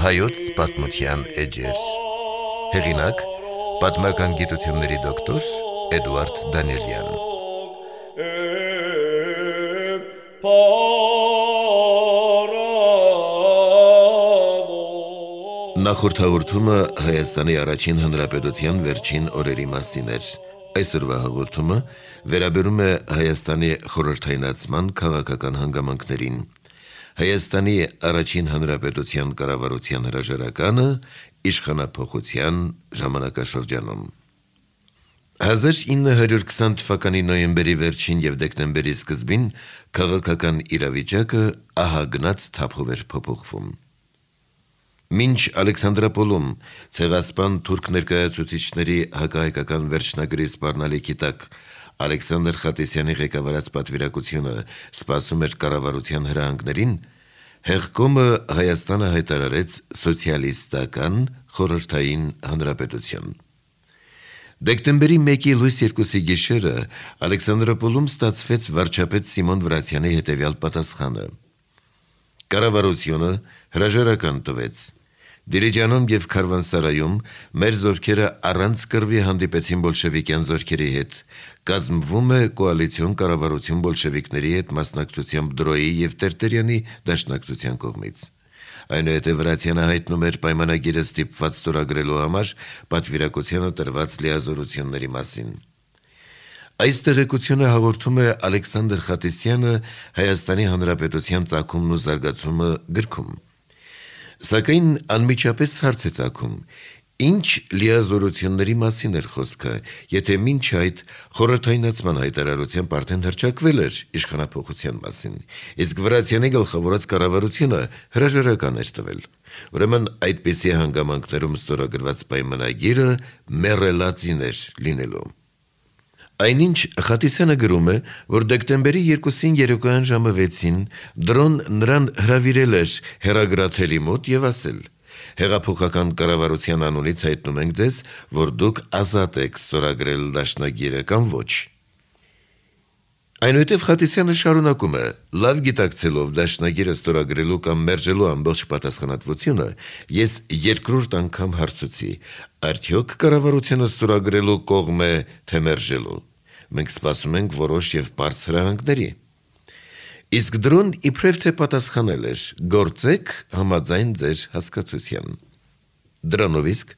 Հայոց պատմության էջեր հեղինակ պատմական գիտությունների դոկտոր Էդուարդ Դանիելյան Նախորդ հաղորդումը Հայաստանի առաջին հանրապետության վերջին օրերի մասին էր։ Այսօրվա հաղորդումը վերաբերում է Հայաստանի խորհրդայնացման քաղաքական հանգամանքներին։ Հայաստանի առաջին հանրապետության կառավարության հրաժարականը իշխանափոխության ժամանակաշրջանում 1920 թվականի նոյեմբերի վերջին եւ դեկտեմբերի սկզբին քաղաքական իրավիճակը ահագնաց թափով էր փոփոխվում։ Մինչ Ալեքսանդրապոլում ցեղասպան թուրք ներկայացուցիչների հակահայկական վերջնագրի սպառնալիքի տակ Ալեքսանդր Խատիսյանի ղեկավարած պատվիրակությունը սպասում էր կառավարության հրահանգներին, հեղկոմը Հայաստանը հայտարարեց սոցիալիստական խորհրդային հանրապետություն։ Դեկտեմբերի 1-ի լույս 2-ի գիշերը Ալեքսանդրապոլում ստացվեց վարչապետ Սիմոն Վրացյանի հետևյալ պատասխանը. Կառավարությունը հրաժարական տվեց։ Դիլիջանում եւ Քարվանսարայում մեր զորքերը առանց կռվի հանդիպեցին բոլշևիկյան զորքերի հետ։ Կազմվում է կոալիցիոն կառավարություն բոլշևիկների հետ մասնակցությամբ Դրոյի եւ Տերտերյանի դաշնակցության կողմից։ Այնուհետև Վրացյանը հայտնում էր պայմանագիրը ստիպված ստորագրելու համար պատվիրակությանը տրված լիազորությունների մասին։ Այս տեղեկությունը հաղորդում է Ալեքսանդր Խատիսյանը Հայաստանի Հանրապետության ծագումն ու զարգացումը գրքում։ Սակայն անմիջապես հարց է ծագում. ինչ լիազորությունների մասին էր խոսքը, եթե մինչ այդ խորհրդայնացման հայտարարությամբ արդեն հռչակվել էր իշխանափոխության մասին, իսկ Վրացյանի գլխավորած կառավարությունը հրաժարական էր տվել։ Ուրեմն այդպիսի հանգամանքներում ստորագրված պայմանագիրը մեռելածին էր լինելու։ Այնինչ Խատիսյանը գրում է, որ դեկտեմբերի 2-ին երեկոյան ժամը 6-ին դրոն նրան հրավիրել էր հեռագրաթելի մոտ եւ ասել. Հեղափոխական կառավարության անունից հայտնում ենք ձեզ, որ դուք ազատ եք ստորագրել դաշնագիրը կամ ոչ։ Այնուհետև Խատիսյանը շարունակում է. լավ գիտակցելով դաշնագիրը ստորագրելու կամ մերժելու ամբողջ պատասխանատվությունը, ես երկրորդ անգամ հարցուցի. արդյոք կառավարությունը ստորագրելու կողմ է, թե մերժելու։ Մենք սպասում ենք որոշ եւ պարզ հրահանգների։ Իսկ դրոն իբրև թե պատասխանել էր. գործեք համաձայն ձեր հասկացության։ Դրանով իսկ,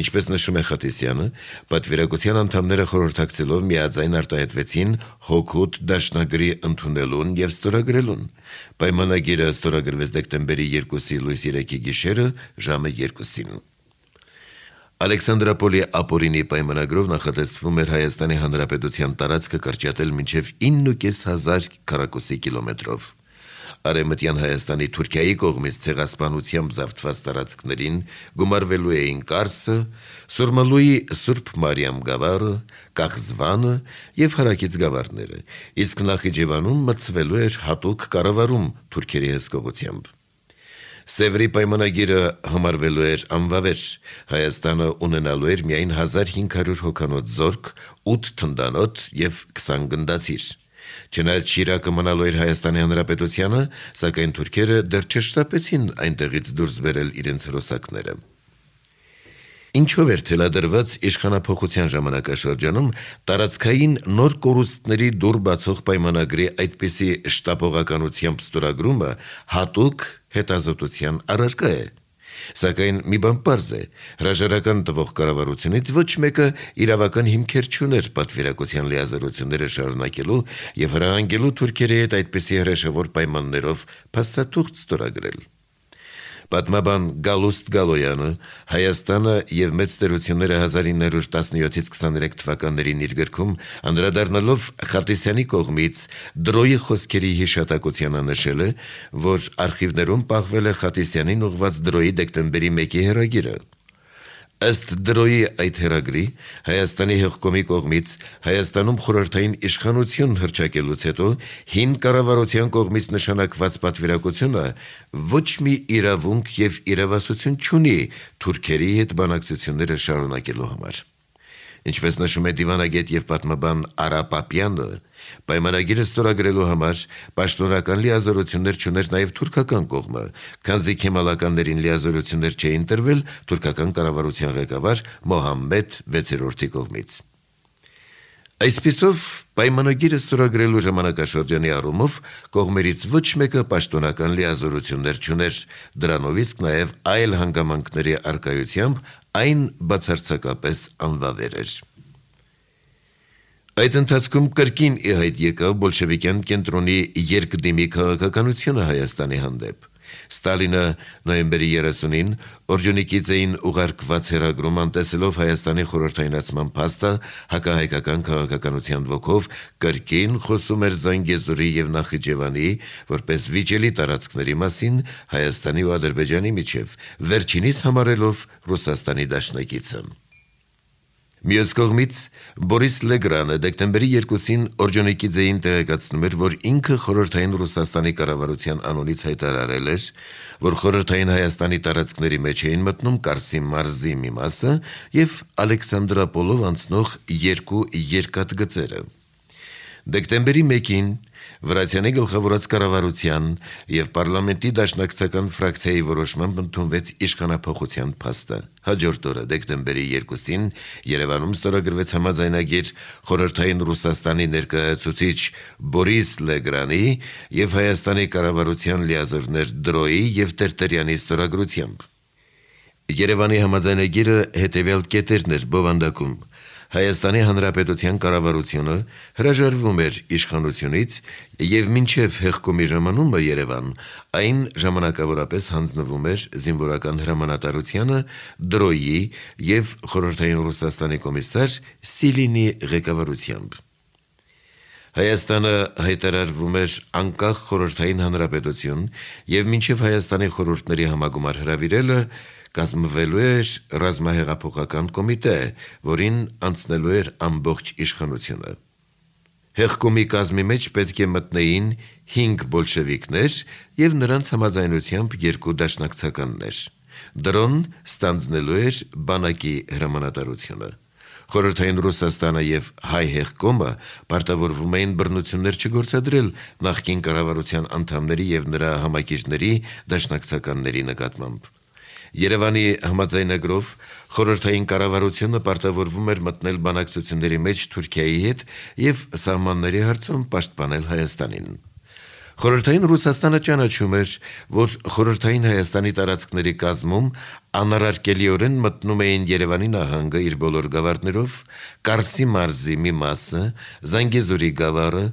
ինչպես նշում է Խատիսյանը, պատվիրակության անդամները խորհրդակցելով միաձայն արտահայտվեցին հօգուտ դաշնագրի ընդունելուն եւ ստորագրելուն։ Պայմանագիրը ստորագրվեց դեկտեմբերի 2-ի լույս 3-ի գիշերը ժամը 2-ին։ Ալեքսանդրապոլի ապօրինի պայմանագրով նախատեսվում էր Հայաստանի Հանրապետության տարածքը կրճատել մինչև 9.500 քառակուսի կիլոմետրով։ Արևմտյան Հայաստանի Թուրքիայի կողմից ցեղասպանությամբ զավթված տարածքներին գումարվելու էին Կարսը, Սուրմալուի Սուրբ Մարիամ գավառը, Կախզվանը եւ հարակից գավառները, իսկ Նախիջևանում մտցվելու էր հատուկ կառավարում թուրքերի հսկողությամբ։ Սևրի պայմանագիրը համարվելու էր անվավեր, Հայաստանը ունենալու էր միայն 1500 հոգանոց զորք, 8 թնդանոթ եւ 20 գնդացիր։ Չնայած Շիրակը մնալու էր Հայաստանի Հանրապետությանը, սակայն թուրքերը դեռ չշտապեցին այնտեղից դուրս բերել իրենց հրոսակները։ Ինչով էր թելադրված իշխանափոխության ժամանակաշրջանում տարածքային նոր կորուստների դուր բացող պայմանագրի այդպիսի շտապողականությամբ ստորագրումը հատուկ հետազոտության առարկա է։ Սակայն մի բան պարզ է, հրաժարական տվող կառավարությունից ոչ մեկը իրավական հիմքեր չուներ պատվիրակության լիազորությունները շարունակելու եւ հրահանգելու թուրքերի հետ այդպիսի հրաշավոր պայմաններով փաստաթուղթ ստորագրել։ Պատմաբան Գալուստ Գալոյանը Հայաստանը եւ մեծ տերությունները 1917-23 թվականներին իր գրքում անդրադառնալով Խատիսյանի կողմից Դրոյի խոսքերի հիշատակությանը նշել է, որ արխիվներում պահվել է Խատիսյանին ուղված Դրոյի դեկտեմբերի 1-ի հեռագիրը։ Ըստ Դրոյի այդ հեռագրի Հայաստանի հեղկոմի կողմից Հայաստանում խորհրդային իշխանություն հռչակելուց հետո հին կառավարության կողմից նշանակված պատվիրակությունը ոչ մի իրավունք եւ իրավասություն չունի թուրքերի հետ բանակցությունները շարունակելու համար։ Ինչպես նշում է դիվանագետ եւ պատմաբան Արա Պապյանը, պայմանագիրը ստորագրելու համար պաշտոնական լիազորություններ չուներ նաեւ թուրքական կողմը, քանզի քեմալականներին լիազորություններ չէին տրվել թուրքական կառավարության ղեկավար Մոհամմեդ 6-րդի կողմից։ Այսպիսով, պայմանագիրը ստորագրելու ժամանակաշրջանի առումով կողմերից ոչ մեկը պաշտոնական լիազորություններ չուներ, դրանով իսկ նաև այլ հանգամանքների առկայությամբ այն բացարձակապես անվավեր էր։ Այդ ընթացքում կրկին ի հայտ եկավ բոլշևիկյան կենտրոնի երկդիմի քաղաքականությունը Հայաստանի հանդեպ։ Ստալինը նոյեմբերի 30-ին Օրջոնիկիձեին ուղարկված հեռագրում անտեսելով Հայաստանի խորհրդայնացման փաստը հակահայկական քաղաքականության ոգով կրկին խոսում էր Զանգեզուրի եւ Նախիջևանի որպես վիճելի տարածքների մասին Հայաստանի ու Ադրբեջանի միջև, վերջինիս համարելով Ռուսաստանի դաշնակիցը։ Մյուս կողմից Բորիս Լեգրանը դեկտեմբերի 2-ին Օրջոնիկիձեին տեղեկացնում էր, որ ինքը խորհրդային Ռուսաստանի կառավարության անունից հայտարարել էր, որ խորհրդային Հայաստանի տարածքների մեջ էին մտնում Կարսի մարզի մի մասը եւ Ալեքսանդրապոլով անցնող երկու երկաթգծերը։ Դեկտեմբերի 1-ին Վրացյանի գլխավորած կառավարության եւ պարլամենտի դաշնակցական ֆրակցիայի որոշմամբ ընդունվեց իշխանափոխության փաստը։ Հաջորդ օրը դեկտեմբերի 2-ին Երևանում ստորագրվեց համաձայնագիր խորհրդային Ռուսաստանի ներկայացուցիչ Բորիս Լեգրանի եւ Հայաստանի կառավարության լիազորներ Դրոյի եւ Տերտերյանի ստորագրությամբ։ Երևանի համաձայնագիրը հետևյալ կետերն էր բովանդակում. Հայաստանի Հանրապետության կառավարությունը հրաժարվում էր իշխանությունից եւ մինչեւ հեղկոմի ժամանումը Երևան այն ժամանակավորապես հանձնվում էր զինվորական հրամանատարությանը Դրոյի եւ խորհրդային Ռուսաստանի կոմիսար Սիլինի ղեկավարությամբ։ Հայաստանը հայտարարվում էր անկախ խորհրդային հանրապետություն եւ մինչեւ Հայաստանի խորհուրդների համագումար հրավիրելը կազմվելու էր ռազմահեղափոխական կոմիտե, որին անցնելու էր ամբողջ իշխանությունը։ Հեղկոմի կազմի մեջ պետք է մտնեին 5 բոլշևիկներ եւ նրանց համաձայնությամբ 2 դաշնակցականներ։ Դրոն ստանձնելու էր բանակի հրամանատարությունը։ Խորհրդային Ռուսաստանը եւ հայ հեղկոմը պարտավորվում էին բռնություններ չգործադրել նախկին կառավարության անդամների եւ նրա համակիրների դաշնակցականների նկատմամբ։ Երևանի համաձայնագրով խորհրդային կառավարությունը պարտավորվում էր մտնել բանակցությունների մեջ Թուրքիայի հետ եւ սահմանների հարցում պաշտպանել Հայաստանին։ Խորհրդային Ռուսաստանը ճանաչում էր, որ խորհրդային Հայաստանի տարածքների կազմում անարարկելիորեն մտնում էին Երևանի նահանգը իր բոլոր գավառներով, Կարսի մարզի մի մասը, Զանգեզուրի գավառը,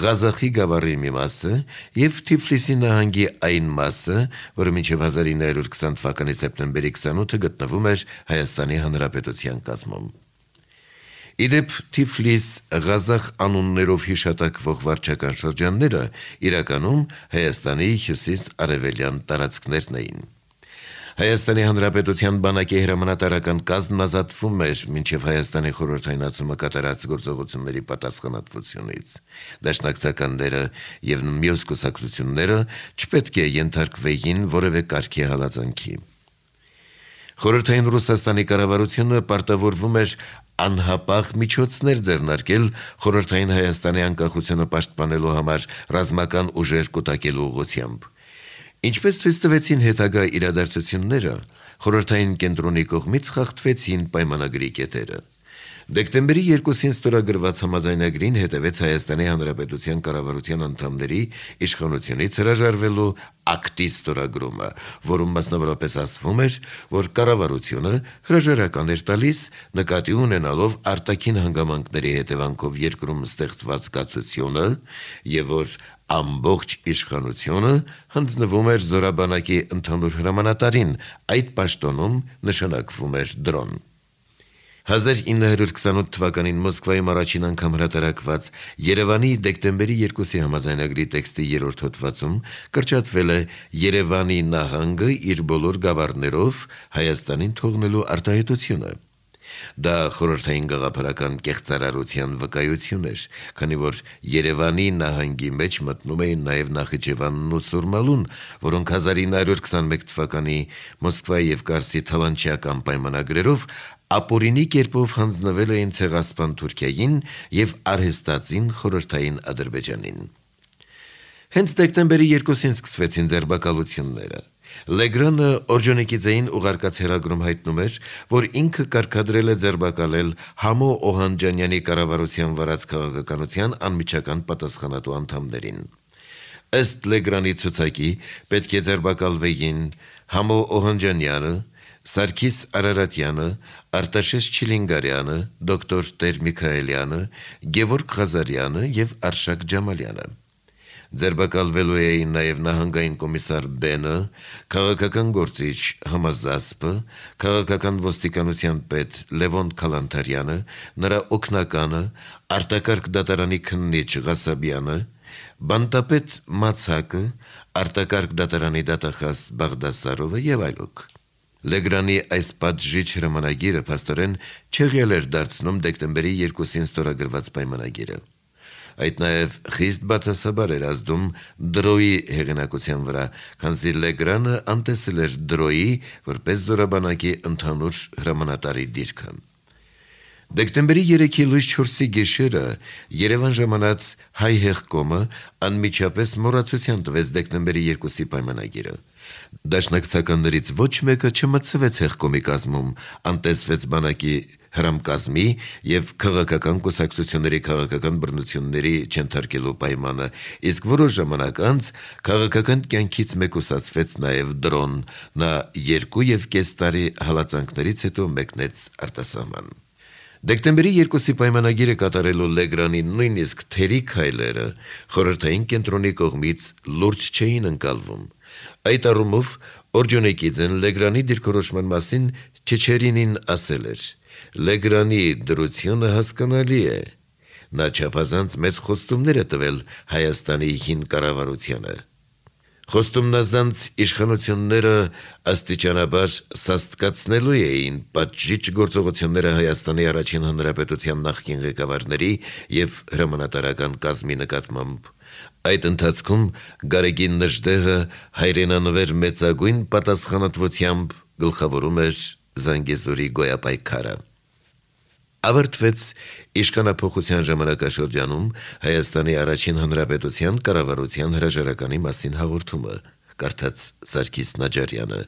Ղազախի գավառի մի մասը եւ Թիֆլիսի նահանգի այն մասը, որը մինչեւ 1920 թվականի սեպտեմբերի 28-ը գտնվում էր Հայաստանի Հանրապետության կազմում։ Իդեպ Թիֆլիս, Ղազախ անուններով հիշատակվող վարչական շրջանները իրականում Հայաստանի հյուսիս-արևելյան տարածքներն էին։ Հայաստանի Հանրապետության բանակի հրամանատարական կազմն ազատվում էր մինչև Հայաստանի խորհրդայնացումը կատարած գործողությունների պատասխանատվությունից։ Դաշնակցականները եւ մյուս կուսակցությունները չպետք է ենթարկվեին որևէ կարգի հալածանքի։ Խորհրդային Ռուսաստանի կառավարությունը պարտավորվում էր անհապաղ միջոցներ ձեռնարկել խորհրդային Հայաստանի անկախությունը պաշտպանելու համար ռազմական ուժեր կուտակելու ուղղությամբ։ Ինչպես ցույց տվեցին հետագա իրադարձությունները, խորհրդային կենտրոնի կողմից խախտվեցին պայմանագրի կետերը։ Դեկտեմբերի 2-ին ստորագրված համաձայնագրին հետևեց Հայաստանի Հանրապետության կառավարության անդամների իշխանությունից հրաժարվելու ակտի ստորագրումը, որում մասնավորապես ասվում էր, որ կառավարությունը հրաժարական էր տալիս նկատի ունենալով արտաքին հանգամանքների հետևանքով երկրում ստեղծված կացությունը եւ որ ամբողջ իշխանությունը հանձնվում էր զորաբանակի ընդհանուր հրամանատարին, այդ պաշտոնում նշանակվում էր Դրոն։ 1928 թվականին Մոսկվայում առաջին անգամ հրատարակված Երևանի դեկտեմբերի 2-ի համաձայնագրի տեքստի 3-րդ հոդվածում կրճատվել է Երևանի նահանգը իր բոլոր գավառներով Հայաստանին թողնելու արտահայտությունը։ Դա խորհրդային գաղափարական կեղծարարության վկայություն էր, քանի որ Երևանի նահանգի մեջ մտնում էին նաև Նախիջևանն ու Սուրմալուն, որոնք 1921 թվականի Մոսկվայի եւ Կարսի թալանչիական պայմանագրերով ապօրինի կերպով հանձնվել էին Ցեղասպան Թուրքիային և արհեստածին Խորհրդային Ադրբեջանին։ Հենց դեկտեմբերի 2-ին սկսվեցին ձերբակալությունները։ Լեգրանը Օրջոնիկիձեին ուղարկած հեռագրում հայտնում էր, որ ինքը կարգադրել է ձերբակալել Համո Օհանջանյանի կառավարության վարած քաղաքականության անմիջական պատասխանատու անդամներին։ Ըստ Լեգրանի ցուցակի պետք է ձերբակալվեին Համո Օհանջանյանը, Սարգիս Արարատյանը, Արտաշես Չիլինգարյանը, դոկտոր Տեր Միքայելյանը, Գևորգ Ղազարյանը և Արշակ Ջամալյանը։ Ձերբակալվելու էին նաև նահանգային կոմիսար Բենը, քաղաքական գործիչ Համազասպը, քաղաքական ոստիկանության պետ Լևոն Քալանթարյանը, նրա օգնականը, արտակարգ դատարանի քննիչ Ղասաբյանը, բանտապետ Մացակը, արտակարգ դատարանի դատախազ Բաղդասարովը և այլոք։ Լեգրանի այս պատժիչ հրամանագիրը փաստորեն չեղյալ էր դարձնում դեկտեմբերի 2-ին ստորագրված պայմանագիրը։ Այդ նաև խիստ բացասաբար էր ազդում Դրոյի հեղինակության վրա, քանզի Լեգրանը անտեսել էր Դրոյի որպես զորաբանակի ընդհանուր հրամանատարի դիրքը։ Դեկտեմբերի 3-ի լույս 4-ի գիշերը Երևան ժամանած Հայ հեղկոմը անմիջապես մոռացության տվեց դեկտեմբերի 2-ի պայմանագիրը։ Դաշնակցականներից ոչ մեկը չմտցվեց հեղկոմի կազմում, անտեսվեց բանակի հրամկազմի և քաղաքական կուսակցությունների քաղաքական բռնությունների չենթարկելու պայմանը, իսկ որոշ ժամանակ անց քաղաքական կյանքից մեկուսացվեց նաև Դրոն, նա 2.5 տարի հալածանքներից հետո մեկնեց արտասահման։ Դեկտեմբերի 2-ի պայմանագիրը կատարելու Լեգրանի նույնիսկ թերի քայլերը խորհրդային կենտրոնի կողմից լուրջ չէին ընկալվում։ Այդ առումով Օրջոնիկիձեն Լեգրանի դիրքորոշման մասին Չեչերինին ասել էր. «Լեգրանի դրությունը հասկանալի է, նա չափազանց մեծ խոստումներ է տվել Հայաստանի հին կառավարությանը։ Խոստումնազանց իշխանությունները աստիճանաբար սաստկացնելու էին պատժիչ գործողությունները Հայաստանի առաջին հանրապետության նախկին ղեկավարների և հրամանատարական կազմի նկատմամբ։ Այդ ընթացքում Գարեգին Նժդեհը հայրենանվեր մեծագույն պատասխանատվությամբ գլխավորում էր Զանգեզուրի գոյապայքարը»։ Ավարտվեց իշխանափոխության ժամանակաշրջանում Հայաստանի առաջին հանրապետության կառավարության հրաժարականի մասին հաղորդումը, կարդաց Սարգիս Նաջարյանը։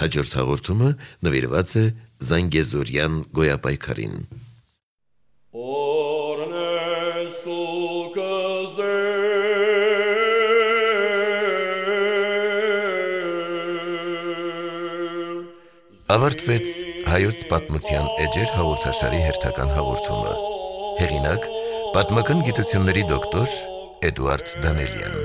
Հաջորդ հաղորդումը նվիրված է Զանգեզուրյան գոյապայքարին։ Ավարտվեց Հայոց պատմության էջեր հաղորդաշարի հերթական հաղորդումը։ Հեղինակ՝ պատմական գիտությունների դոկտոր Էդուարդ Դանելյան։